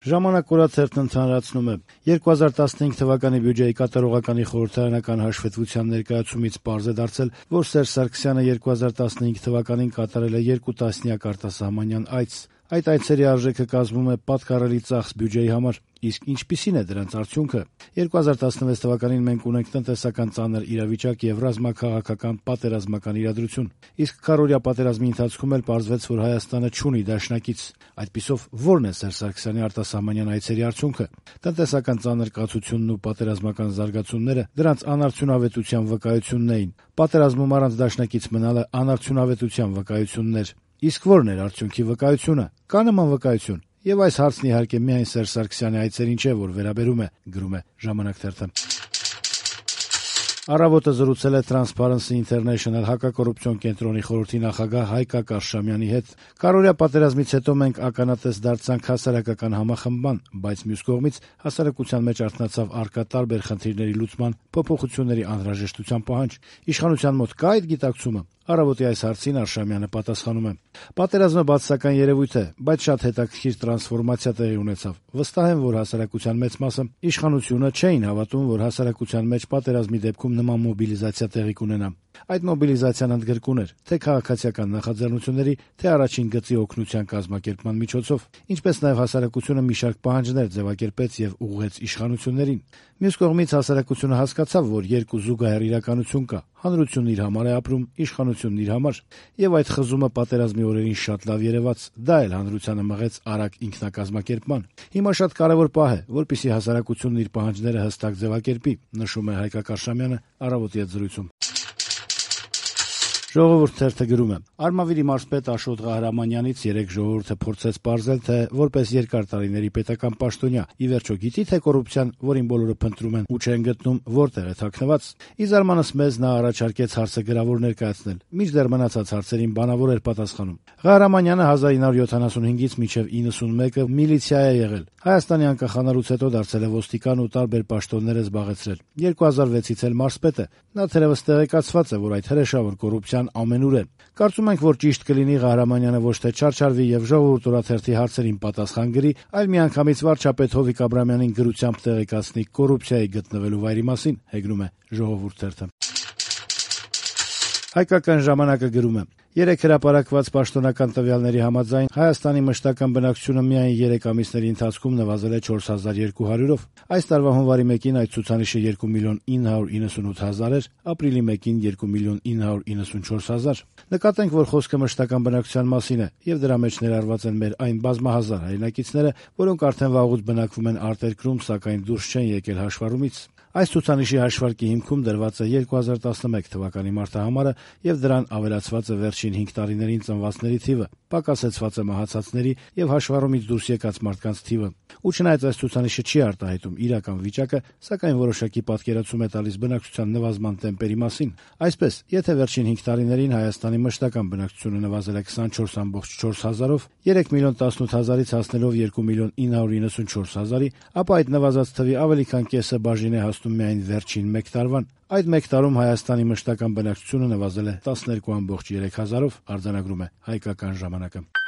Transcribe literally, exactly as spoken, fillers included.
Ժամանակ օրաթերթն ընդհանրացնում է. երկու հազար տասնհինգ թվականի բյուջեի կատարողականի խորհրդարանական հաշվետվության ներկայացումից պարզ է դարձել, որ Սերժ Սարգսյանը երկու հազար տասնհինգ թվականին կատարել է երկու տասնյակ արտասահմանյան այց։ Այդ այցերի արժեքը կազմում է պատկառելի ծախս բյուջեի համար, իսկ ինչպիսին է դրանց արդյունքը։ երկու հազար տասնվեց թվականին մենք ունենք տնտեսական ծանր իրավիճակ եւ ռազմաքաղաքական պատերազմական իրադրություն, իսկ քառօրյա պատերազմի ընթացքում էլ պարզվեց, որ Հայաստանը չունի դաշնակից։ Այդպիսով ո՞րն է Սերժ Սարգսյանի արտասահմանյան այցերի արդյունքը։ Տնտեսական ծանր կացությունն ու պատերազմական զարգացումները դրանց անարդյունավետության վկայությունն էին։ Պատերազմում առանց դաշնակից մնալը անարդյունավետության վկայությունն էր։ Իսկ ո՞րն էր արդյունքի վկայությունը։ Կա նման վկայություն։ Եվ այս հարցն իհարկե միայն Սերժ Սարգսյանի այցերին չէ, որ վերաբերում է, գրում է «Ժամանակ» թերթը։ Առավոտը զրուցել է Transparency International հակակոռուպցիոն կենտրոնի խորհրդի նախագահ Հայկ Կարշամյանի հետ։ Կարօրյա պատերազմից հետո մենք ականատես դարձանք հասարակական համախմբման, բայց մյուս կողմից հասարակության մեջ արթնացավ առկա տարբեր խնդիրների լուծման, փոփոխությունների անհրաժեշտության պահանջ։ Իշխանության մոտ կա այդ գիտակցումը։ Առավոտի այս հարցին Արշամյանը պատասխանում է. Պատերազմը բացասական երևույթ է, բայց շատ հետաքրքիր տրանսֆորմացիա տեղի ունեցավ։ Վստահ եմ, որ հասարակության մեծ մասը իշխանությունը չէին հավատում, որ հասարակության մեջ պատերազմի դեպքում նման մոբիլիզացիա տեղի կունենա։ Այդ մոբիլիզացիան ընդգրկուն էր թե քաղաքացիական նախաձեռնությունների, թե առաջին գծի օգնության կազմակերպման միջոցով, ինչպես նաև հասարակությունը մի շարք պահանջներ ձևակերպեց եւ ուղղեց իշխանություններին։ Մյուս կողմից հասարակությունը հասկացավ, որ երկու զուգահեռ իրականություն կա։ Հանրությունն իր համար է ապրում, իշխանությունն իր համար, եւ այդ խզումը պատերազմի օրերին շատ լավ երևաց։ Դա էլ հանրությանը մղեց արագ ինքնակազմակերպման։ Հիմա շատ կարեւոր պահ է, որպեսզի հասարակությունն իր պահանջները հստակ ձևակերպի, նշում է Հայկ Կարշամյանը Առավոտի հետ զրույցում։ Ժողովուրդ թերթը գրում է. Արմավիրի մարզպետ Աշոտ Ղահրամանյանից երեկ ժողովուրդը փորձեց պարզել, թե որպես երկար տարիների պետական պաշտոնյա ի վերջո գիտի, թե կոռուպցիան, որին բոլորը փնտրում են ու չեն գտնում, որտեղ է թաքնված։ Ի զարմանս մեզ նա առաջարկեց հարցը գրավոր ներկայացնել, մինչդեռ մնացած հարցերին բանավոր էր պատասխանում։ Ղահրամանյանը հազար ինը հարյուր յոթանասունհինգից մինչև իննսունմեկը միլիցիա է եղել։ Հայաստանի անկախանալուց հետո դարձել է ոստիկան ու տարբեր պաշտոններ է զբաղեցրել։ երկու հազար վեցից էլ մարզպետ է։ Նա թերևս տեղեկացված է, որ այդ հրեշավոր կոռուպցիան ամենուր է։ Կարծում ենք, որ ճիշտ կլինի Ղահրամանյանը ոչ թե չարչարվի եւ ժողովուրդ օրաթերթի հարցերին պատասխան գրի, այլ միանգամից վարչապետ Հովիկ Աբրամյանին գրությամբ տեղեկացնի կոռուպցիայի գտնվելու վայրի մասին, հեգնում է Ժողովուրդ թերթը։ Հայկական ժամանակը գրում է. Երեք հրապարակված պաշտոնական տվյալների համաձայն Հայաստանի մշտական բնակչությունը միայն երեք ամիսների ընթացքում նվազել է չորս հազար երկու հարյուրով։ Այս տարվա հունվարի մեկին այդ ցուցանիշը երկու միլիոն ինը հարյուր իննսունութ հազար էր, ապրիլի մեկին երկու միլիոն ինը հարյուր իննսունչորս հազար։ Նկատենք, որ խոսքը մշտական բնակչության մասին է, եւ դրա մեջ ներառված են մեր այն բազմահազար հայրենակիցները, որոնք արդեն վաղուց բնակվում են արտերկրում, սակայն դուրս չեն եկել հաշվառումից։ Այս ցուցանիշի հաշվարկի հիմքում դրված է երկու հազար տասնմեկ թվականի մարտահամարը եւ դրան ավելացված է վերջին հինգ տարիներին ծնվածների թիվը, պակասեցված է մահացածների եւ հաշվառումից դուրս եկած մարդկանց թիվը։ Ու չնայած այս ցուցանիշը չի արտահայտում իրական վիճակը, սակայն որոշակի պատկերացում է տալիս բնակչության նվազման տեմպերի մասին։ Այսպես, եթե վերջին հինգ տարիներին Հայաստանի մշտական բնակչությունը նվազել է քսանչորս ամբողջ չորս հազարով, երեք միլիոն տասնութ հազարից հասնելով երկու միլիոն ինը հարյուր իննսունչորս հազարի, ապա այդ նվազած թվի ավելի քան կեսը բաժին է հասնում միայն վերջին մեկ տարվան։ Այդ մեկ տարում Հայաստանի մշտական բնակչությունը նվազել է տասներկու ամբողջ երեք հազարով, արձանագրում է Հայկական ժամանակը։